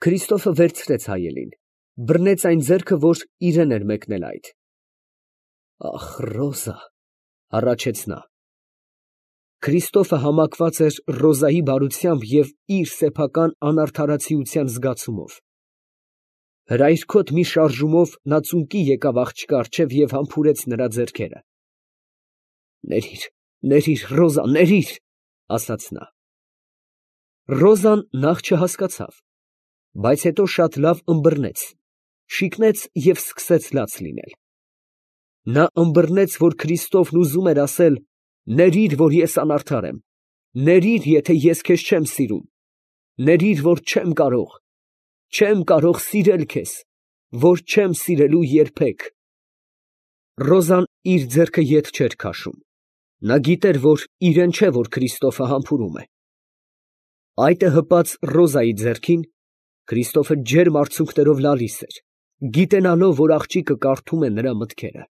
Քրիստոֆը վերցրեց հայելին, բռնեց այն ձեռքը, որ իրեն էր մեկնել այդ։ Ախ, Ռոզա, հառաչեց նա։ Քրիստոֆը համակված էր Ռոզայի բարությամբ և իր սեփական անարդարացիության զգացումով։ Հրայրքոտ մի շարժումով նա ծունկի եկավ աղջկա առջև և համբուրեց նրա ձեռքերը։ Ներիր, Ռոզա, ներիր, ասաց նա։ Ռոզան նախ չհասկացավ, բայց հետո շատ լավ ըմբռնեց, շիկնեց և սկսեց լաց լինել։ Նա ըմբռնեց, որ Քրիստոֆն ուզում էր ասել. «Ներիր, որ ես անարդար եմ, ներիր, եթե ես քեզ չեմ սիրում, ներիր, որ չեմ կարող սիրել քեզ, որ չեմ սիրելու երբեք»։ Ռոզան իր ձեռքը ետ չէր քաշում. նա գիտեր, որ իրեն չէ, որ Քրիստոֆը համբուրում է։ Այտը հպած Ռոզայի ձեռքին, Քրիստոֆը ջերմ արցունքներով լալիս էր, գիտենալով, որ աղջիկը կարդում է նրա մտքերը։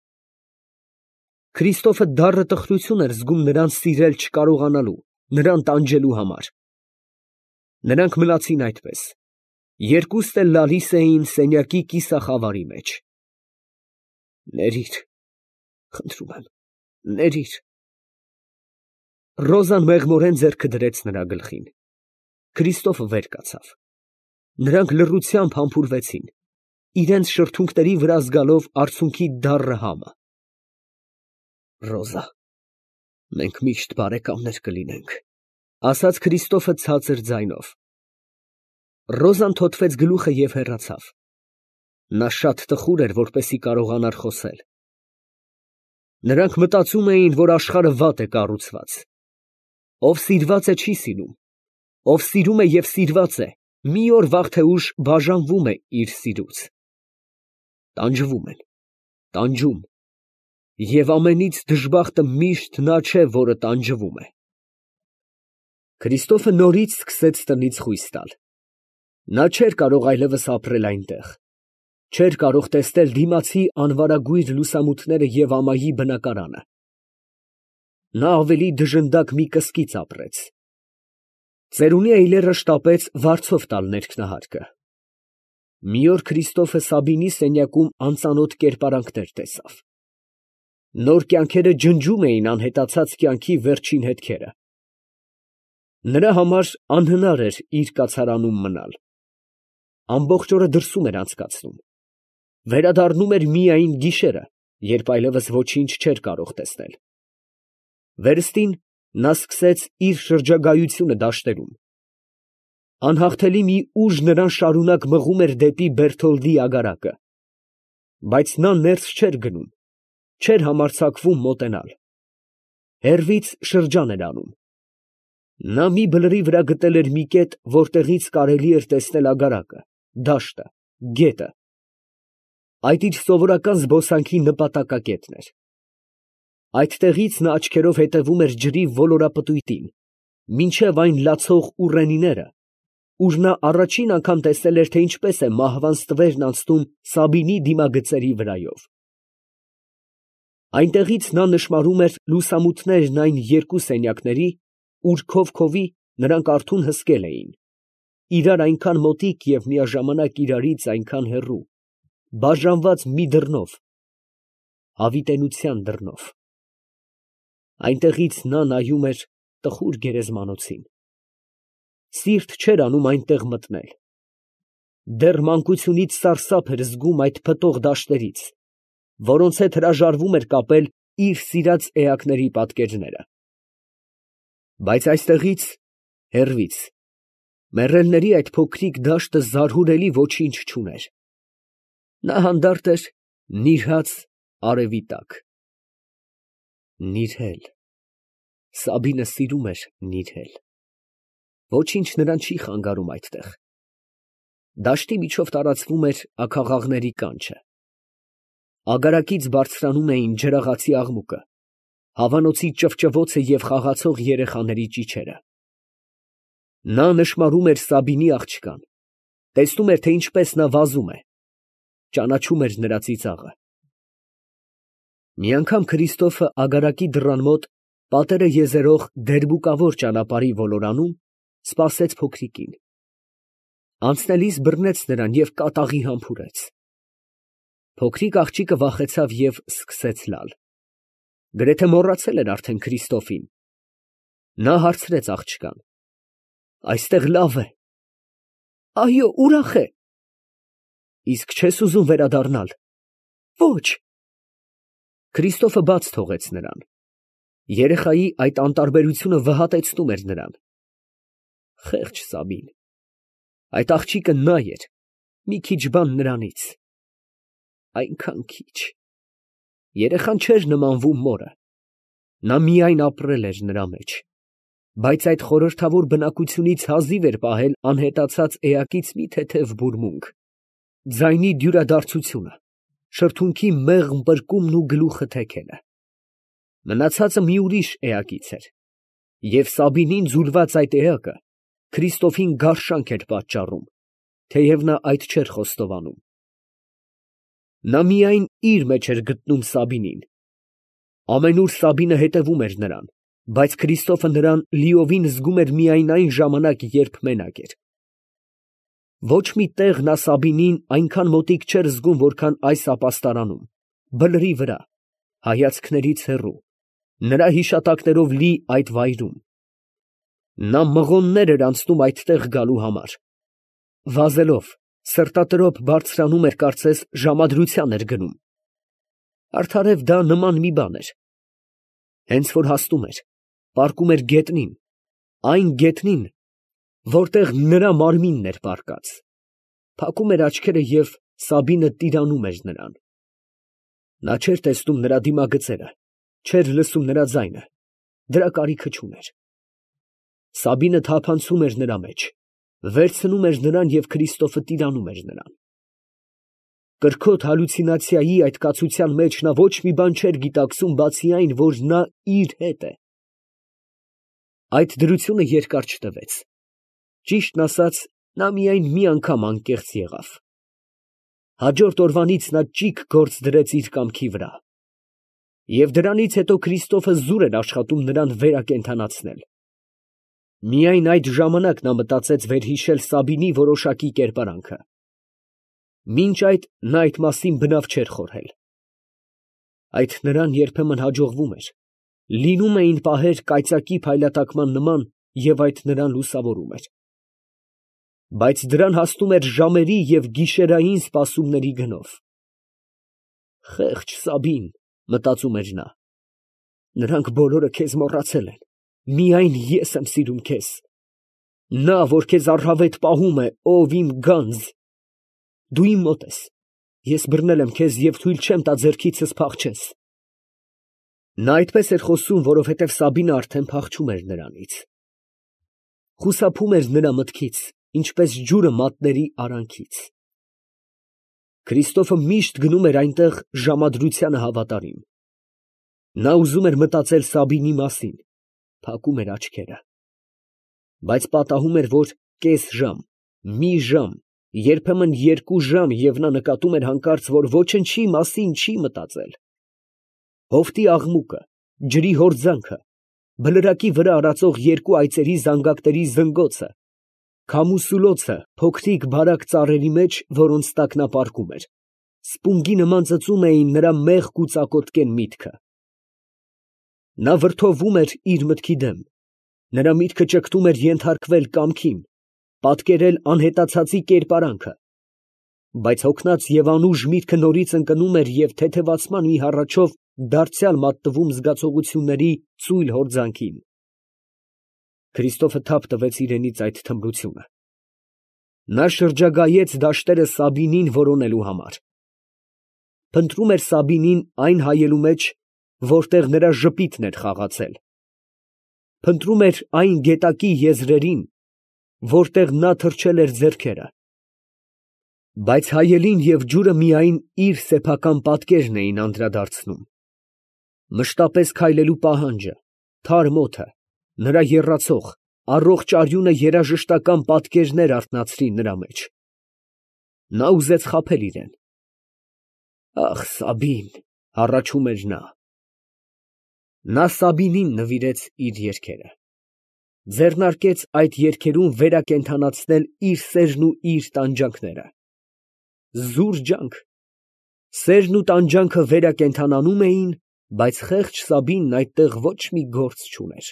Քրիստոֆը դառը տխրություն էր զգում նրան սիրել չկարողանալու, նրան տանջելու համար։ Նրանք մնացին այդպես, երկուստ էլ լալիս էին սենյակի կիսախավարի մեջ։ Ներիր, խնդրում եմ, ներիր։ Ռոզան մեղմորեն ձեռքը դրեց նրա գլխին։ Քրիստոֆը վեր կացավ։ Նրանք լռությամբ համբուրվեցին, իրենց շրթունքների վրա զգալով արցունքի դառը համը։ Ռոզա, մենք միշտ բարեկամներ կլինենք, ասաց Քրիստոֆը ցածր ձայնով։ Ռոզան թոթվեց գլուխը և հեռացավ։ Նա շատ տխուր էր, որպեսզի կարողանար խոսել։ Նրանք մտածում էին, որ աշխարհը վատ է կառուցված։ Ով սիրված է, չի սիրում, ով սիրում է և սիրված է, մի օր վաղ թե ուշ բաժանվում է իր սիրուց։ Տանջվում են, տանջում, և ամենից դժբախտը միշտ նա չէ, որը տանջվում է։ Քրիստոֆը նորից սկսեց տնից խույս տալ։ Նա չէր կարող այլևս ապրել այնտեղ, չէր կարող տեսնել դիմացի անվարագույր լուսամուտները և ամայի բնակարանը։ Նա ավելի դժնդակ մի կսկիծ ապրեց։ Ծերունի էյլերը շտապեց վարձով տալ ներքնահարկը։ Մի օր Քրիստոֆը Սաբինի սենյակում անծանոթ կերպարանքներ տեսավ։ Նոր կյանքերը ջնջում էին անհետացած կյանքի վերջին հետքերը։ Նրա համար անհնար էր իր կացարանում մնալ։ Ամբողջ օրը դրսում էր անցկացնում։ Վերադառնում էր միայն գիշերը, երբ այլևս ոչինչ չէր կարող տեսնել։ Վերստին նա սկսեց իր շրջագայությունը դաշտերում։ Անհաղթելի մի ուժ նրան շարունակ մղում էր դեպի Բերթոլդի ագարակը։ Բայց նա ներս չէր գնում, չէր համարձակվում մոտենալ։ Հեռվից շրջան էր անում։ Նա մի բլրի վրա գտել էր մի կետ, որտեղից կարելի էր տեսնել ագարակը, դաշտը, գետը։ Այդ իր սովորական զբոսանքի նպատակակետն էր։ Այդտեղից նա աչքերով հետևում էր ջրի ոլորապտույտին, մինչև այն լացող ուռենիները, ուր նա առաջին անգամ տեսել էր, թե ինչպես է մահվան ստվերն անցնում Սաբինի դիմագծերի վրայով։ Այնտեղից նա նշմարում էր լուսամուտներն այն երկու սենյակների, ուր քով֊քովի նրանք արթուն հսկել էին, իրար այնքան մոտիկ և միաժամանակ իրարից այնքան հեռու, բաժանված մի դռնով, հավիտենության դռնով։ Այնտեղից նա նայում էր տխուր գերեզմանոցին։ Սիրտ չէր անում այնտեղ մտնել։ Դեռ մանկությունից սարսափ էր զգում այդ փտող դաշտերից, որոնց հետ հրաժարվում էր կապել իր սիրած էակների պատկերները։ Բայց այստեղից, հեռվից, մեռելների այդ փոքրիկ դաշտը զարհուրելի ոչինչ չուներ։ Նա հանդարտ էր նիրհած արևի տակ։ Նիրհել… Սաբինը սիրում էր նիրհել։ Ոչինչ նրան չի խանգարում այդտեղ։ Դաշտի միջով տարածվում էր աքաղաղների կանչը։ Ագարակից բարձրանում էին ջրաղացի աղմուկը, հավանոցի ճվճվոցը և խաղացող երեխաների ճիչերը։ Նա նշմարում էր Սաբինի աղջկան, տեսնում էր, թե ինչպես նա վազում է, ճանաչում էր նրա ծիծաղը։ Մի անգամ Քրիստոֆը ագարակի դռան մոտ, պատերը եզերող դերբուկավոր ճանապարհի ոլորանում, սպասեց փոքրիկին։ Անցնելիս բռնեց նրան և կատաղի համբուրեց։ Փոքրիկ աղջիկը վախեցավ և սկսեց լալ. գրեթե մոռացել էր արդեն Քրիստոֆին։ Նա հարցրեց աղջկան. այստեղ լավ է։ Այո, ուրախ է։ Իսկ չես ուզում վերադառնալ։ Ոչ։ Քրիստոֆը բաց թողեց նրան։ Երեխայի այդ անտարբերությունը վհատեցնում էր նրան։ Խեղճ Սաբին։ Այդ աղջիկը նա էր, մի քիչ բան նրանից։ Այնքան քիչ։ Երեխան չէր նմանվում մորը։ Նա միայն ապրել էր նրա մեջ, բայց այդ խորհրդավոր բնակությունից հազիվ էր պահել անհետացած էակից մի թեթև բուրմունք, ձայնի դյուրադարձությունը, շրթունքի մեղմ պրկումն ու գլուխը թեքելը։ Մնացածը մի ուրիշ էակից էր, և Սաբինին ձուլված այդ էակը Քրիստոֆին գարշանք էր պատճառում, թեև նա այդ չէր խոստովանում։ Նա միայն իր մեջ էր գտնում Սաբինին։ Ամենուր Սաբինը հետևում էր նրան, բայց Քրիստոֆը նրան լիովին զգում էր միայն այն ժամանակ, երբ մենակ էր։ Ոչ մի տեղ նա Սաբինին այնքան մոտիկ չէր զգում, որքան այս ապաստարանում, բլրի վրա, հայացքներից հեռու, նրա հիշատակներով լի այդ վայրում։ Նա մղոններ էր անցնում այդտեղ գալու համար։ Վազելով, սրտատրոփ բարձրանում էր, կարծես ժամադրության էր գնում։ Արդարև դա նման մի բան էր։ Հենց որ հասնում էր, պառկում էր գետնին, այն գետնին, որտեղ նրա մարմինն էր պառկած, փակում էր աչքերը և Սաբինը տիրանում էր նրան։ Նա չէր տեսնում նրա դիմագծերը, չէր լսում նրա ձայնը, դրա կարիքը չուներ։ Սաբինը թափանցում էր նրա մեջ, վերցնում էր նրան և Քրիստոֆը տիրանում էր նրան։ Կրքոտ հալյուցինացիայի այդ կացության մեջ նա ոչ մի բան չէր գիտակցում, բացի այն, որ նա իր հետ է։ Այդ դրությունը երկար չտևեց։ Ճիշտն ասած, նա միայն մի անգամ անկեղծ եղավ։ Հաջորդ օրվանից նա ճիգ գործ դրեց իր կամքի վրա։ Եվ դրանից հետո Քրիստոֆը զուր էր աշխատում նրան վերակենդանացնել։ Միայն այդ ժամանակ նա մտածեց վերհիշել Սաբինի որոշակի կերպարանքը։ Մինչ այդ նա այդ մասին բնավ չէր խորհել։ Այդ նրան երբեմն հաջողվում էր, լինում էին պահեր կայծակի փայլատակման նման, և այդ նրան լուսավորում էր։ Բայց դրան հասնում էր ժամերի և գիշերային սպասումների գնով։ Խեղճ Սաբին, մտածում էր նա, նրանք բոլորը քեզ մոռացել են, միայն ես եմ սիրում քեզ։ Նա, որ քեզ առհավետ պահում է, ով իմ գանձ։ Դու իմ մոտ ես, ես բռնել եմ քեզ և թույլ չեմ տա ձեռքիցս փախչես։ Նա այդպես էր խոսում, որովհետև Սաբինը արդեն փախչում էր նրանից։ Խուսափում էր նրա մտքից, ինչպես ջուրը մատների արանքից։ Քրիստոֆը միշտ գնում էր այնտեղ ժամադրությանը հավատարիմ։ Նա ուզում էր մտածել Սաբինի մասին, փակում էր աչքերը։ Բայց պատահում էր, որ կես ժամ, մի ժամ, երբեմն 2 ժամ, և նա նկատում էր հանկարծ, որ ոչնչի մասին չի մտածել։ Հովտի աղմուկը, ջրի հորձանքը, բլրակի վրա արածող 2 այծերի զանգակների զնգոցը, քամու սուլոցը փոքրիկ բարակ ծառերի մեջ, որոնց տակ նա պառկում էր, սպունգի նման ծծում էին նրա մեղք ու ծակոտկեն միտքը։ Նա վրդովում էր իր մտքի դեմ, նրա միտքը ճգտում էր ենթարկվել կամքին, պատկերել անհետացածի կերպարանքը, բայց հոգնած և անուժ միտքը նորից ընկնում էր և թեթևացման մի հառաչով դարձյալ մատնվում զգացողությունների ծույլ հորձանքին։ Քրիստոֆը թափ տվեց իրենից այդ թմրությունը։ Նա շրջագայեց դաշտերը Սաբինին որոնելու համար։ Փնտրում էր Սաբինին այն հայելու մեջ, որտեղ նրա ժպիտն էր խաղացել։ Փնտրում էր այն գետակի եզրերին, որտեղ նա թրջել էր ձեռքերը։ Բայց հայելին և ջուրը միայն իր սեփական պատկերն էին անդրադարձնում։ Մշտապես քայլելու պահանջը, թարմ օդը, նրա եռացող, առողջ արյունը երաժշտական պատկերներ արթնացրին նրա մեջ։ Նա ուզեց խաբել իրեն։ Ախ, Սաբին, հառաչում էր նա։ Նա Սաբինին նվիրեց իր երգերը։ ձեռնարկեց այդ երգերում վերակենդանացնել իր սերն ու իր տանջանքները։ Զուր ջանք, սերն ու տանջանքը վերակենդանանում էին, բայց խեղճ Սաբինն այդտեղ ոչ մի գործ չուներ։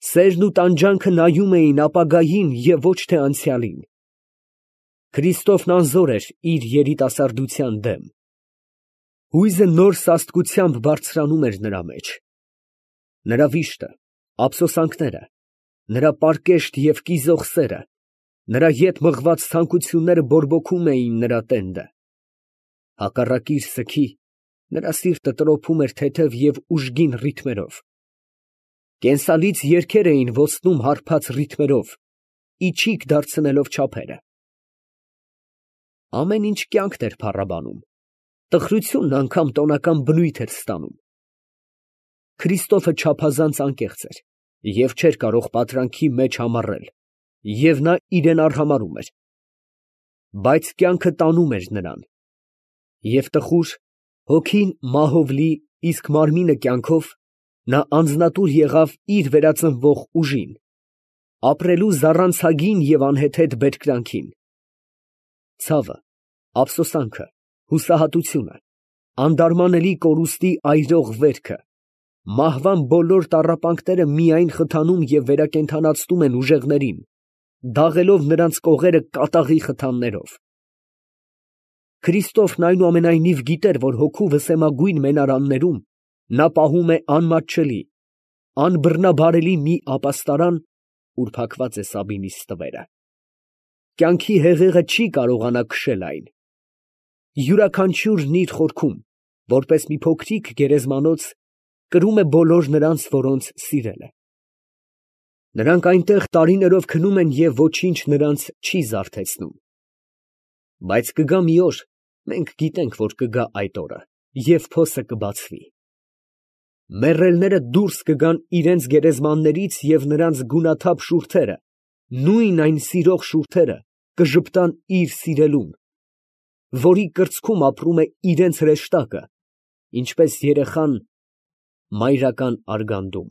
Սերն ու տանջանքը նայում էին ապագային և ոչ թե անցյալին։ Քրիստոֆն անզոր էր իր երիտասարդության դեմ։ Հույզը նոր սաստկությամբ բարձրանում էր նրա մեջ։ Նրա վիշտը, ափսոսանքները, նրա պարկեշտ և կիզող սերը, նրա ետ մղված ցանկությունները բորբոքում էին նրա տենդը։ Հակառակիր սգի, նրա սիրտը տրոփում էր թեթև և ուժգին ռիթմերով։ Կենսալից երգեր էին ոսնում հարբած ռիթմերով, իչիք դարձնելով չափերը։ Ամեն ինչ կյանքն էր փառաբանում, տխրությունն անգամ տոնական բնույթ էր ստանում։ Քրիստոֆը չափազանց անկեղծ էր և չէր կարող պատրանքի մեջ համառել, և նա իրան արհամարհում էր։ Բայց կյանքը տանում էր նրան, և տխուր, հոգին մահով լի, իսկ մարմինը կյանքով, նա անձնատուր եղավ իր վերածնվող ուժին, ապրելու զառանցագին և անհեթեթ բերկրանքին։ Ցավը, ափսոսանքը, հուսահատությունը, անդարմանելի կորուստի այրող վերքը, մահվան բոլոր տառապանքները միայն խթանում և վերակենդանացնում են ուժեղներին, դաղելով նրանց կողերը կատաղի խթաններով։ Քրիստոֆն այնուամենայնիվ գիտեր, որ հոգու վսեմագույն մենարաններում նա պահում է անմատչելի, անբռնաբարելի մի ապաստարան, ուր փակված է Սաբինի ստվերը։ Կյանքի հեղեղը չի կարողանա քշել այն։ Յուրաքանչյուրն իր խորքում, որպես մի փոքրիկ գերեզմանոց, կրում է բոլոր նրանց, որոնց սիրել է։ Նրանք այնտեղ տարիներով քնում են և ոչինչ նրանց չի զարթեցնում։ Բայց կգա մի օր, մենք գիտենք, որ կգա այդ օրը, և փոսը կբացվի։ Մեռելները դուրս կգան իրենց գերեզմաններից և նրանց գունաթափ շուրթերը, նույն այն սիրող շուրթերը, կժպտան իր սիրելուն, որի կրծքում ապրում է իրենց հրեշտակը, ինչպես երեխան մայրական արգանդում։